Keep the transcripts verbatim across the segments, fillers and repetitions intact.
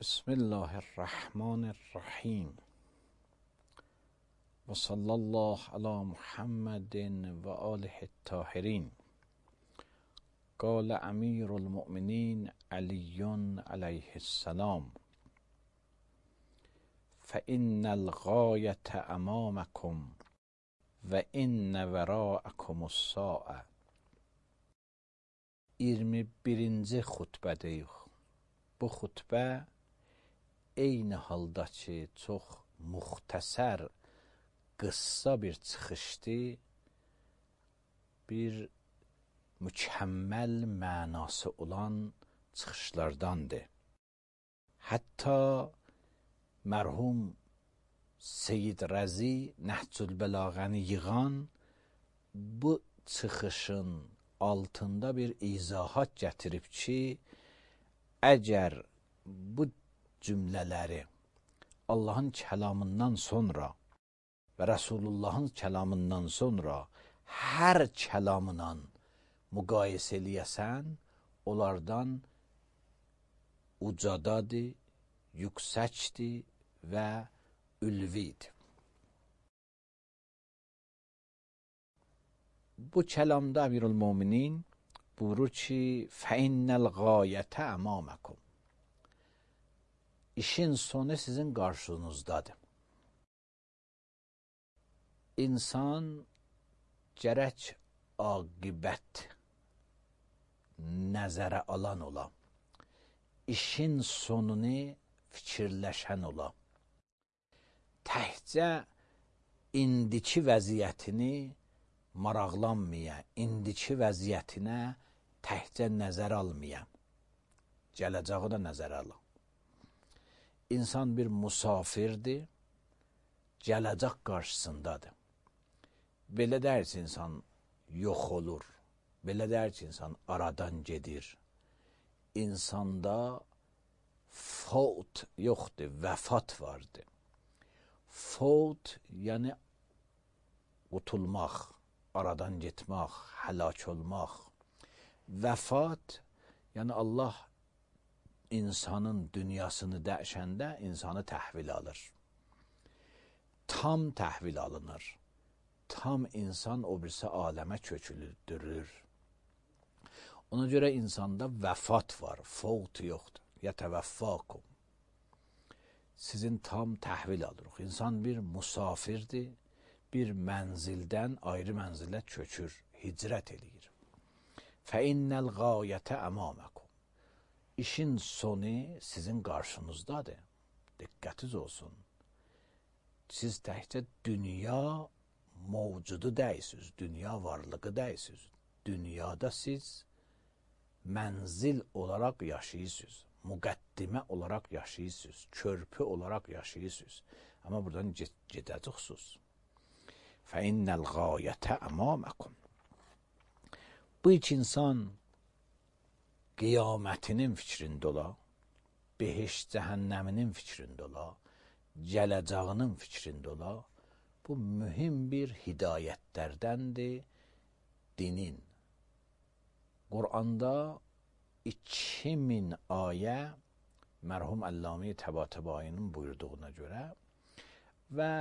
بسم الله الرحمن الرحیم و صلی الله علی محمد و آله الطاهرین. قال امیر المؤمنین علی علیه السلام: فإن الغایة امامکم و ان وراءکم الساعة. iyirmi birinci xutbədəyik. Bu xutbə eyni halda ki, çox muxtəsər, qıssa bir çıxışdı, bir mükəmməl mənası olan çıxışlardandır. Hətta mərhum Seyyid Rəzi Nəhcülbəlağəni yığan bu çıxışın altında bir izahat gətirib ki, əgər bu cümlələri Allahın kəlamından sonra və Rəsulullahın kəlamından sonra hər kəlamla müqayisə eləyəsən, onlardan ucadadır, yüksəkdir və ülvidir. Bu kəlamda Əmirül-Möminin buyurur ki, فَإِنَّ الْغَایَةَ əmamakum. İşin sonu sizin qarşınızdadır. İnsan gərək aqibət nəzərə alan ola, işin sonunu fikirləşən ola, təhcə indiki vəziyyətini maraqlanmaya, indiki vəziyyətinə təhcə nəzər almaya, gələcəyi də nəzər ala. İnsan bir musafirdir, gələcək qarşısındadır. Belə deyir ki, insan yox olur, belə deyir ki, insan aradan gedir. İnsanda fəut yoxdur, vəfat vardır. Fəut, yəni qutulmaq, aradan getmək, həlak olmaq. Vəfat, yəni Allah insanın dünyasını dəyişəndə insanı təhvil alır. Tam təhvil alınır. Tam insan o birisi aləmə köçülüdürür. Ona görə insanda vəfat var, fəut yoxdur. Yətəvəffəkum. Sizin tam təhvil alırıq. İnsan bir musafirdir, bir mənzildən ayrı mənzilə köçür, hicrət eləyir. فَإِنَّ الْغَایَةَ əmamakum. İşin sonu sizin qarşınızdadır. Diqqətiniz olsun. Siz təhcə dünya mövcudu deyilsiniz, dünya varlığı deyilsiniz. Dünyada siz mənzil olaraq yaşayırsınız, müqəddimə olaraq yaşayırsınız, körpü olaraq yaşayırsınız. Amma buradan gedəcəksiniz. فَإِنَّ الْغَایَةَ əmamakum. Bu iki insan qiyamətinin fikrində ola, behiş cəhənnəminin fikrində ola, gələcəyinin fikrində ola, bu mühüm bir hidayətlərdəndir dinin. Quranda iki min ayə mərhum Əlləmi Təbatəbainin buyurduğuna görə və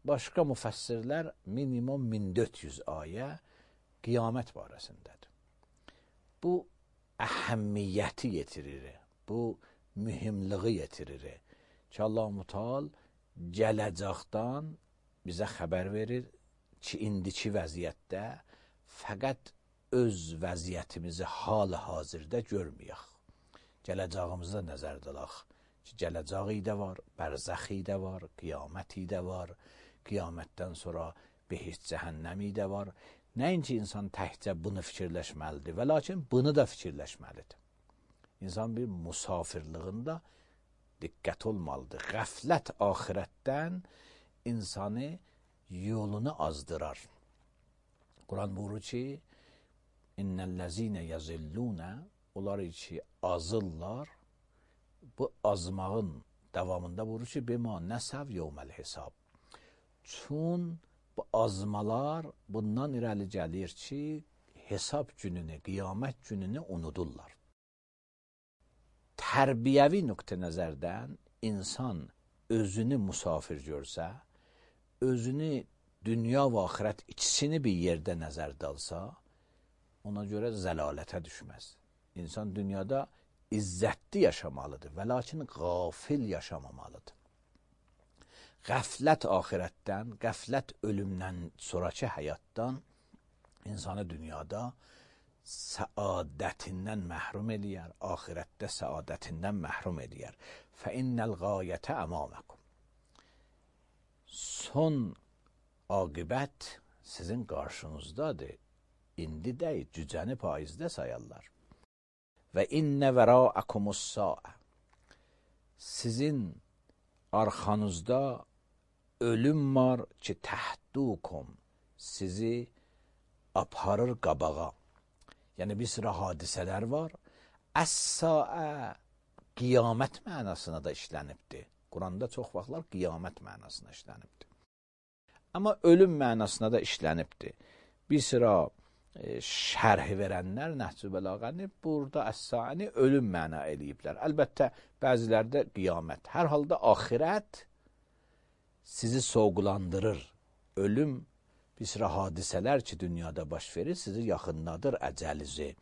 başqa müfəssirlər minimum min dörd yüz ayə qiyamət barəsindədir. Bu əhəmmiyyəti yetirir, bu mühümlüğü yetirir ki, Allah-u Müteal gələcəkdən bizə xəbər verir ki, indiki vəziyyətdə fəqət öz vəziyyətimizi hal-hazırda görməyək. Gələcəyimizdə nəzərdə alaq ki, gələcəyi də var, bərzəxi də var, qiyaməti də var, qiyamətdən sonra behiş cəhənnəmi də var. Nəinki insan təhcə bunu fikirləşməlidir və lakin bunu da fikirləşməlidir. İnsan bir musafirlığında diqqət olmalıdır. Qəflət axirətdən insanı yolunu azdırar. Quran buyurur ki, İnnəl-ləzinə yazillunə, onlar ki azırlar, bu azmağın davamında buyurur ki, bima nəsəv yevməl hesab. Çün bu azmalar bundan irəli gəlir ki, hesab gününü, qiyamət gününü unudurlar. tərbiyəvi nöqtə nəzərdən insan özünü musafir görsə, özünü dünya və axirət ikisini bir yerdə nəzərdə alsa, ona görə zəlalətə düşməz. İnsan dünyada izzətli yaşamalıdır və lakin qafil yaşamamalıdır. Qəflət axirətdən, qəflət ölümdən sonraki həyatdan insanı dünyada səadətindən məhrum eləyər, axirətdə səadətindən məhrum eləyər. فَإِنَّ الْغَایَةَ əmamakum. Son aqibət sizin qarşınızdadır. İndi deyil, cücəni paizdə sayarlar. Və innə vərəəkumus-saə. Sizin arxanızda ölüm var ki, təhdukum, sizi aparır qabağa. Yəni bir sıra hadisələr var. Əs-saə qiyamət mənasına da işlənibdir. Quranda çox vaxtlar qiyamət mənasına işlənibdir. Amma ölüm mənasına da işlənibdir. Bir sıra e, şərhi verənlər Nəhcü Bəlağəni burada əs-saəni ölüm məna eləyiblər. Əlbəttə bəzilərdə qiyamət. Hər halda axirət sizi soğulandırır. Ölüm bir sıra hadisələr ki, dünyada baş verir, sizi yaxınladır əcəlizi,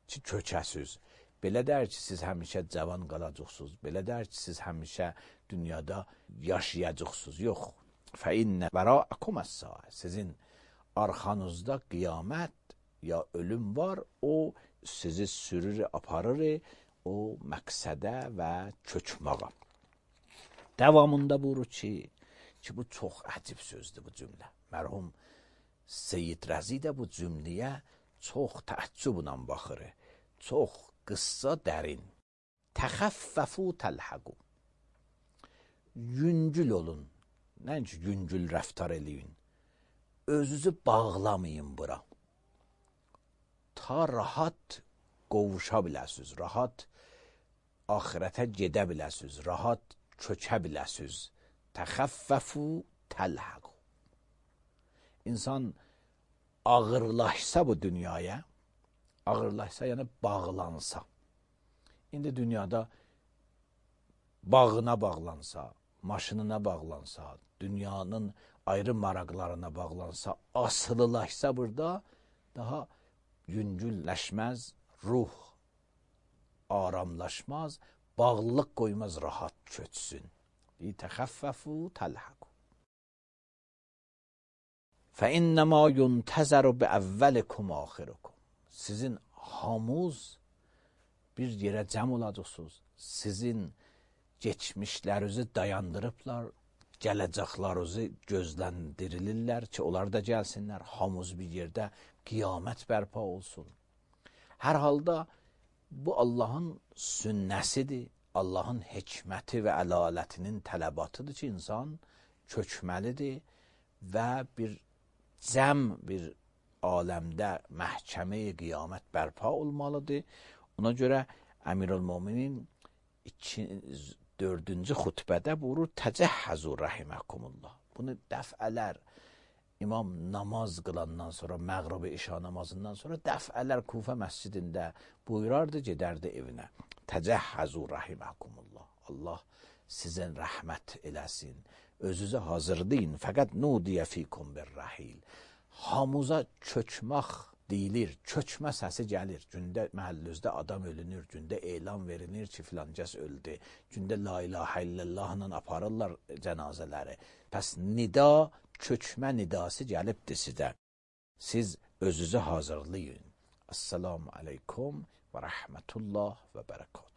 ki, kökəsiz. Belə dər ki, siz həmişə cavan qalacaqsınız. Belə dər ki, siz həmişə dünyada yaşayacaqsınız. Yox. فَإِنَّ وَرَاءَكُمُ السَّاعَةُ. Sizin arxanızda qiyamət ya ölüm var, o sizi sürür, aparır o məqsədə və kökmağa. Davamında buyurur ki, ki bu çox əcib sözdür bu cümlə. Mərhum Seyyid Rəzi də bu cümləyə çox təəccüblə baxır. Çox qıssa dərin. Təxəffəfu təlhəqu. Yüngül olun. Nəinki yüngül rəftar eləyin. Özünüzü bağlamayın bura. Ta rahat qovuşa biləsiniz. Rahat axirətə gedə biləsiniz. Rahat kökə biləsiniz. Təxəffəfu təlhəqu. İnsan ağırlaşsa bu dünyaya, ağırlaşsa yəni bağlansa. İndi dünyada bağına bağlansa, maşınına bağlansa, dünyanın ayrı maraqlarına bağlansa, asılılaşsa burada daha yüngülləşməz, ruh aramlaşmaz, bağlılıq qoymaz, rahat köçsün. Təxəffəfu təlhəqu. فَإِنَّمَا يُنْتَزَرُ بِأَوَّلِكُمْ آخِرُكُمْ. Sizin hamuz bir yerə cəm olacaqsınız. Sizin geçmişlərinizi dayandırıblar, gələcəklərinizi gözləndirilirlər ki, onlar da gəlsinlər, hamuz bir yerdə qiyamət bərpa olsun. Hər halda bu Allahın sünnəsidir, Allahın hikməti və əlalətinin tələbatıdır ki, insan kökməlidir və bir cəm bir aləmdə məhkəmə-i qiyamət bərpa olmalıdır. Ona görə Əmirül-Möminin dördüncü xutbədə buyurur, təcəhhəzu rəhiməkumullah. Bunu dəfələr imam namaz qılandan sonra, məğrib-i işa namazından sonra dəfələr Kufə məscidində buyurardı, gedərdi evinə. Təcəhhəzu rəhiməkumullah. Allah sizin rəhmət eləsin. Özünüzü hazırlayın. Fəqət nudiyə fikum bir rəhil. Hamuza köçmək deyilir. Köçmə səsi gəlir. Gündə məhəllünüzdə adam ölünür. Gündə elan verilir ki, filancəs öldü. Gündə la ilahə illallahla aparırlar cənazələri. Pəs nida, köçmə nidası gəlibdir sizə. Siz özünüzü hazırlayın. Assalamu aleykum və rəhmətullah və bərəkət.